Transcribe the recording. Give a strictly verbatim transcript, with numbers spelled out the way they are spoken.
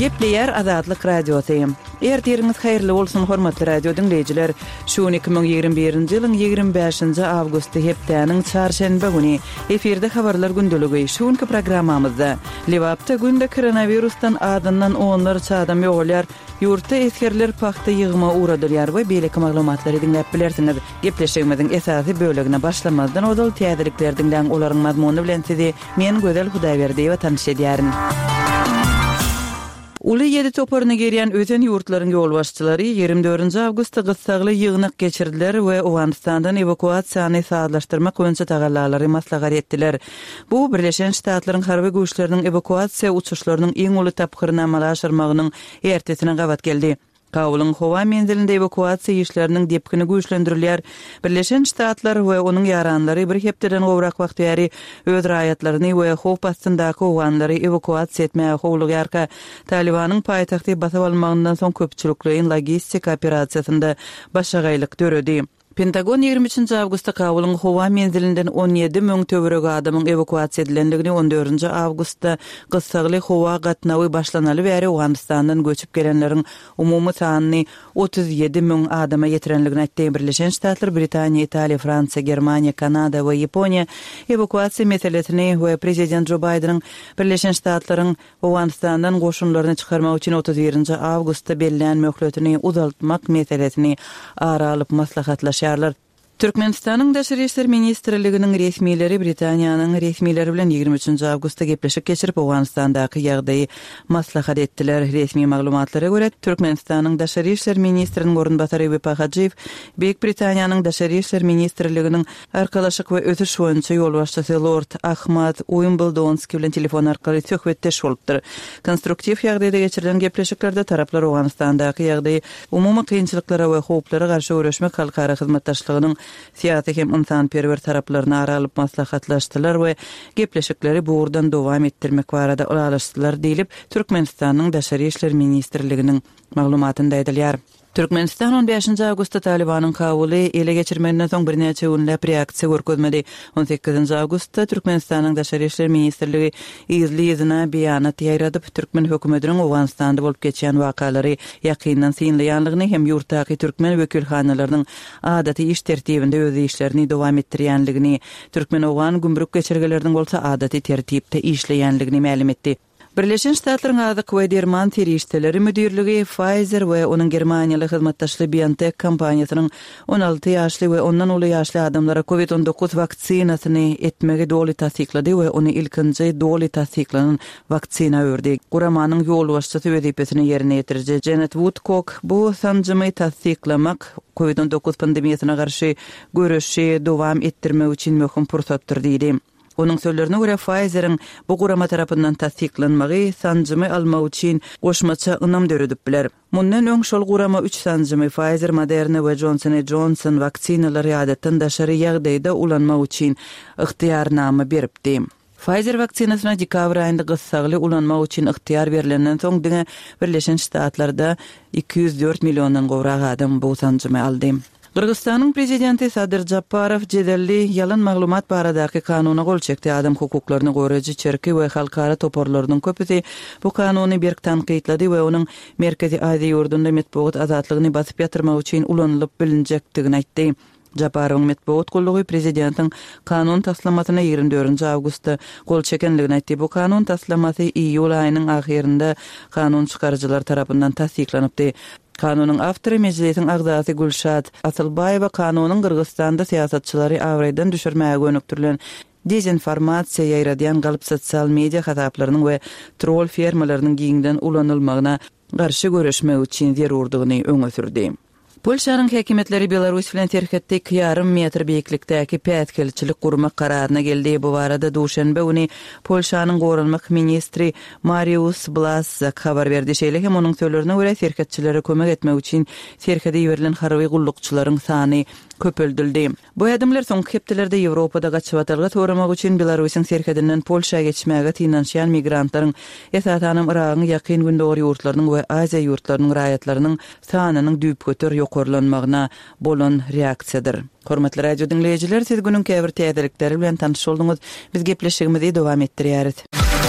Gepleýär Azatlyk Radiosy. Ertiriňiz haýyrly bolsun, hormatly radio diňleýjiler. Şu gün iki müň ýigrimi birinji ýylyň ýigrimi bäşinji awgusty hepdäniň çarşenbe güni. Efirde habarlar gündeligi. Şu günki programmamyzda Lebapda günde koronawirusdan azyndan onlarça adam ýogalýar. Ýurtda esgerler pagta ýygyma ugradylýar we beýleki maglumatlary diňläp bilersiňiz. Gepleşigimiziň esasy bölegine başlamazdan ozal täzelikleri diňläň, olaryň mazmuny bilen sizi men Gözel Hudaýberdiýewa tanyş edýärin. Uly ýedi toparyna girýän ösen ýurtlaryň ýolbaşçylary ýigrimi dördünji awgustda gyssagly ýygnak geçirdiler we Owganystandan ewakuasiýany sazlaşdyrmak boýunça tagallalary maslahat etdiler. Bu Birleşen Ştatlaryň harby güýçleriniň ewakuasiýa uçuşlarynyň iň uly tapgyryny amala aşyrmagynyň ertesine gabat geldi. Kabulyň howa menzilinde ewakuasiýa işleriniň depgini güýçlendirilýär. Birleşen Ştatlar we onuň ýaranlary bir hepdeden gowrak wagt bäri öz raýatlaryny we howp astyndaky owganlary ewakuasiýa etmäge howlugýarka, Talybanyň paýtagty basyp almagyndan soň köpçülikleýin logistika operasiýasynda başagaýlyk döredi. Pentagon ýigrimi üçünji awgustda Kabulyň howa menzilinden on ýedi müň töweregi adamyň ewakuasiýa edilendigini, on dördünji awgustda gyssagly howa gatnawy başlanaly bäri Owganystandan göçüp gelenleriň umumy sanyny otuz ýedi müň adama ýetirendigini aýtdy. Birleşen Ştatlar, Britaniýa, Italiýa, Fransiýa, Germaniýa, Kanada we Ýaponiýa ewakuasiýa meselesini we prezident Jo Baýdeniň Birleşen Ştatlaryň Owganystandan goşunlaryny çykarmak üçin otuz birinji awgustda bellän möhletini uzaltmak meselesini ara alyp maslahatlaşýarlar. Türkmenistanyň Daşary işler ministrliginiň resmileri Britaniýanyň resmileri bilen ýigrimi üçünji awgustda gepleşik geçirip, Owganystandaky ýagdaýy maslahat etdiler. Resmi maglumatlara görä, Türkmenistanyň Daşary işler ministriniň orunbasary Wepa Hajyýew Beýik Britaniýanyň Daşary işler ministrliginiň Arkalaşyk we ösüş boýunça ýolbaşçysy Lord Ahmad Uimbldonski bilen telefon arkaly söhbetdeş bolupdyr. Konstruktiw ýagdaýda geçirilen gepleşiklerde taraplar Owganystandaky ýagdaýy umumy kynçylyklara we howplara garşy göreşmek halkara hyzmatdaşlygynyň syýasy hem ynsanperwer taraplaryny ara alyp maslahatlaşdylar we gepleşikleri bu ugurdan dowam etdirmek barada ylalaşdylar diýlip, Türkmenistanyň Daşary işler ministrliginiň maglumatynda aýdylýar. Türkmenistan on bäşinji awgustda Talybanyň Kabuly ele geçirmeginden soň birnäçe günläp reaksiýa görkezmedi. On sekizinji awgustda Türkmenistanyň Daşary işler ministrligi yzly-yzyna beýanat ýaýradyp, türkmen hökümetiniň Owganystanda bolup geçýän wakalary ýakyndan synlaýanlygyny hem ýurtdaky türkmen wekilhanalarynyň adaty iş tertibinde öz işlerini dowam etdirýänligini, türkmen-owgan gümrük geçelgeleriniň bolsa adaty tertipde işleýänligini mälim etdi. Birleşen Ştatlaryň Azyk we derman serişdeleri müdirligi Pfizer we onuň germaniýaly hyzmatdaşly BioNTech kompaniýasynyň on alty ýaşly we ondan uly ýaşly adamlara covid on dokuz waksinasyny etmegi doly tassyklady we ony ilkinji doly tassyklanan waksina öwürdi. Guramanyň ýolbaşçysy wezipesini ýerine ýetiriji Janet Woodcock bu sanjymy tassyklamak covid on dokuz pandemiýasyna garşy göreşi dowam etdirmek üçin möhüm pursatdyr diýdi. Onuň sözlerine görä, Pfizeriň bu gurama tarapyndan tassyklanmagy sanjymy almak üçin goşmaça ynam döredip biler. Mundan öň şol gurama üç sanjymy Pfizer, Moderna we Johnson and Johnson waksinalary adatdan daşary ýagdaýda ulanmak üçin ygtyýarnama beripdi. Pfizer waksinasyna dekabr aýynda gyssagly ulanmak üçin ygtyýar berilenden soň diňe Birleşen Ştatlarda iki ýüz dört milliondan gowrak adam bu sanjymy aldy. Gyrgyzystanyň prezidenti Sadyr Japarow jedelli ýalan maglumat baradaky kanuna gol çekdi. Adam hukuklaryny goraýjy içerki we halkara toparlarynyň köpüsi bu kanuny berk tankytlady we onuň Merkezi Aziýa ýurdunda metbugat azatlygyny basyp ýatyrmak üçin ulanylyp bilinjekdigini aýtdy. Japarowyň metbugat gullugy prezidentiň kanun taslamasyna ýigrimi dördünji awgustda gol çekenligini aýtdy. Bu kanun taslamasy iýul aýynyň ahyrynda kanun çykaryjylar tarapyndan tassyklanypdy. Kanunyň awtory Mejlisiň agzasy Gülşat Asylbaýewa kanunyň Gyrgyzystanda syýasatçylary abraýdan düşürmäge gönükdirilen dezinformasiýa ýaýradýan galp sosial media hasaplarynyň we troll fermalarynyň giňden ulanylmagyna garşy göreşmek üçin zerurdygyny öňe sürdi. Polşanyň häkimiýetleri Belarus bilen serhetde iki ýarym metr beýiklikdäki päsgelçilik gurmak kararyna geldi. Bu barada duşenbe güni Polşanyň goranmak ministri Marius Blaszak habar berdi. Şeýle hem onuň sözlerine görä, serhetçilere kömek etmek üçin serhede iberilen harby gullukçylaryň sany köpeldildi. Bu ädimler soňky hepdelerde Ýewropada gaçybatalga soramak üçin Belarusyň serhedinden Polşa geçmäge synanyşýan migrantlaryň, esasanam Yragyň ýakyn gündogar ýurtlarynyň we Aziýa ýurtlarynyň raýatlarynyň sanynyň düýpgöter ýokarlanmagyna bolan reaksiýadyr. Hormatly radio diňleýjiler, siz günüň käbir täzelikleri bilen tanyş bolduňyz. Biz gepleşigimizi dowam etdirýäris.